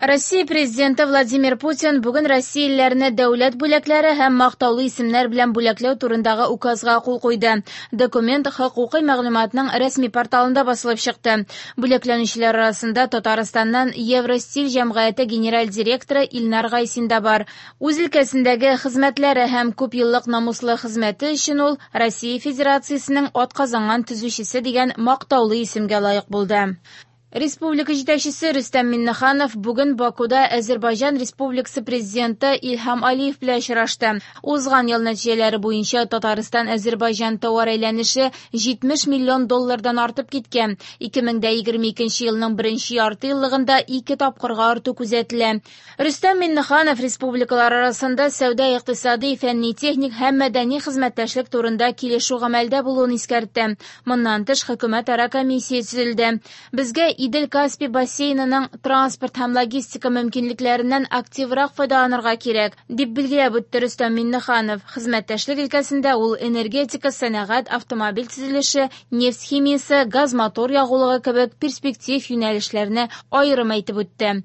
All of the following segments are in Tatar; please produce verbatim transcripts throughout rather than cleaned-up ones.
Россия Президенты Владимир Путин бүген россиялеләрне дәүләт бүләкләре һәм мактаулы исемнәр белән бүләкләү турындагы указга кул куйды. Документ хокукый мәгълүматның рәсми порталында басылып чыкты. Бүләкләнүчеләр арасында Татарстаннан Евростиль җәмгыяте генераль директоры Илнар Гайсин да бар. Үз өлкәсендәге хезмәтләре һәм күпьеллык намуслы хезмәте өчен ул Россия Федерациясенең атказанган төзүчесе дигән мактаулы исемгә лаек булды. Республика җитәкчесе Рөстәм Миңнеханов бүген Бакуда Азәрбайҗан Республикасы президенты Илһам Алиев белән очрашты. Узган ел нәтиҗәләре буенча Татарстан-Азәрбайҗан товар әйләнеше җитмеш миллион доллардан артып киткән. ике мең дә егерме икенче елның беренче ярты еллыгында ике тапкырга арту күзәтелә. Рөстәм Миңнеханов республикалар арасында сәүдә-икътисади, фәнни-техник һәм мәдәни хезмәттәшлек турында килешү гамәлдә булуын искәртте. Моннан тыш хөкүмәтара комиссия төзелде. Безгә Идел-Каспий бассейнының транспорт һәм логистика мөмкинлекләреннән активрак файдаланырга кирәк, дип билгеләп үтте Рөстәм Миңнеханов. Хезмәттәшлек өлкәсендә ул энергетика, сәнәгать, автомобиль төзелеше, нефть химиясе, газ-мотор ягулыгы кебек перспектив юнәлешләрне аерым әйтеп үтте.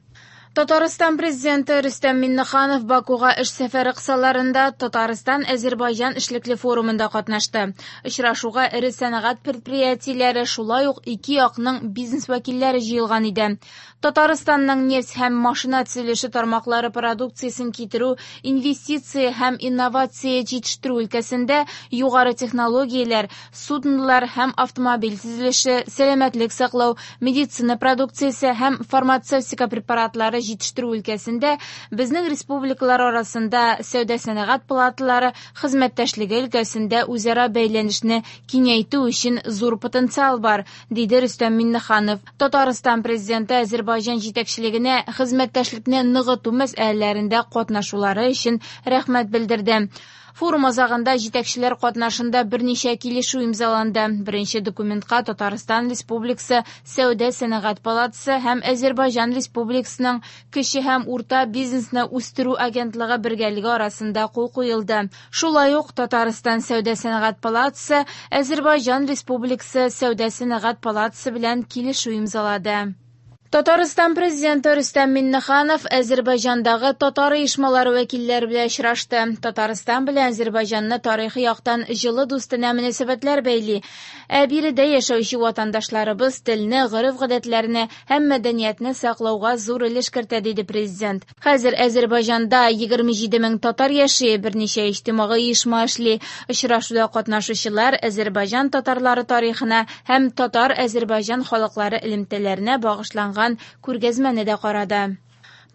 Татарстан президенты Рөстәм Миңнеханов Бакуга эш сәфәре кысаларында Татарстан-Азәрбайҗан эшлекле форумында катнашты. Очрашуга эре сәнәгать предприятиеләре, шулай ук ике якның бизнес вәкилләре җыелган иде. Татарстанның нефть һәм машина төзелеше тармаклары продукциясен китерү, инвестиция һәм инновация җитештерү өлкәсендә югары технологияләр, суднолар һәм автомобиль төзелеше, сәламәтлек саклау, медицина продукциясе һәм фармацевтика препаратлары җитештерү өлкәсендә безнең республикалар арасында сәүдә-сәнәгать палаталары хезмәттәшлеге өлкәсендә үзара бәйләнешне киңәйтү өчен зур потенциал бар, диде Рөстәм Миңнеханов. Татарстан президенты Азәрбайҗан җитәкчелегенә хезмәттәшлекне ныгыту мәсьәләләрендә катнашулары өчен рәхмәт белдерде. Форум азагында җитәкчеләр катнашында берничә килешү имзаланды. Беренче документка Татарстан Республикасы Сәүдә-сәнәгать палатасы һәм Азәрбайҗан Республикасының кече һәм урта бизнесны үстерү агентлыгы бергәлеге арасында кул куелды. Шулай ук Татарстан Сәүдә-сәнәгать палатасы Азәрбайҗан Республикасы Сәүдә-сәнәгать палатасы белән килешү имзалады. Татарстан президенты Рөстәм Миңнеханов Азәрбайҗандагы татар оешмалары вәкилләре белән очрашты. Татарстан белән Азәрбайҗанны тарихи яктан җылы дустанә мөнәсәбәтләр бәйли. Ә биредә яшәүче ватандашларыбыз телне, гореф-гадәтләрне һәм мәдәниятне саклауга зур өлеш кертә, диде президент. Хәзер Азәрбайҗанда егерме җиде мең татар яши, берничә иҗтимагый оешма эшли. Очрашуда катнашучылар Азәрбайҗан татарлары тарихына һәм татар-Азәрбайҗан халыклары элемтәләренә багышланган күргәзмәне дә карады.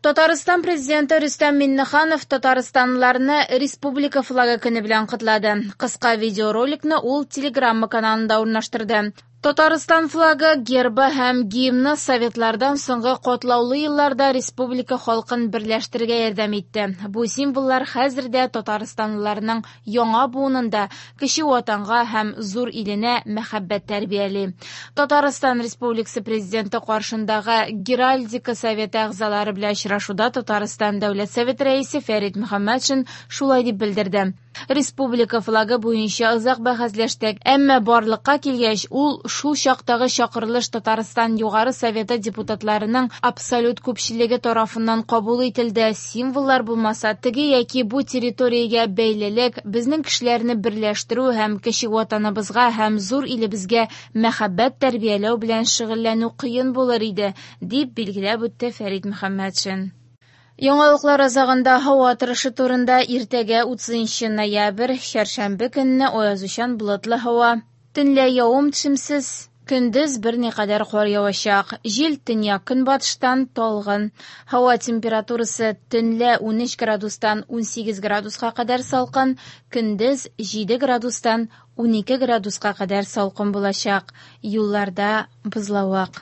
Татарстан президенты Рөстәм Миңнеханов татарстанлыларны Республика флагы көне белән котлады. Кыска видеороликны ул Телеграмма каналында урнаштырды. Татарстан флагы, гербы һәм гимны советлардан соңгы катлаулы елларда республика халкын берләштерергә ярдәм итте. Бу символлар хәзер дә татарстанлыларның яңа буынында кече ватанга һәм зур иленә мәхәббәт тәрбияли. Татарстан Республикасы президенты каршындагы Геральдика советы әгъзалары белән очрашуда Татарстан Дәүләт Советы рәисе Фәрит Мөхәммәтшин шулай дип белдерде. Республика флагы буенча озак бәхәсләштек, әмма барлыкка килгәч, ул шул чактагы чакырылыш Татарстан Югары Советы депутатларының абсолют күпчелеге тарафыннан кабул ителде. Символлар булмаса, теге яки бу территориягә бәйлелек, безнең кешеләрне берләштерү һәм кече ватаныбызга һәм зур илебезгә мәхәббәт тәрбияләү белән шөгыльләнү кыен булыр иде, дип билгеләп үтте Фәрит Мөхәммәтшин. Яңалыклар азагында һава торышы турында иртәгә утызынчы ноябрь, чәршәмбе көнне аязучан болытлы һава. Төнлә явым-төшемсез, көндез берникадәр кар явачак. Җил төньяк-көнбатыштан талгын. Һава температурасы төнлә унөч градустан унсигез градуска кадәр салкын, көндез җиде градустан унике градуска кадәр салкын булачак. Юлларда бозлавык.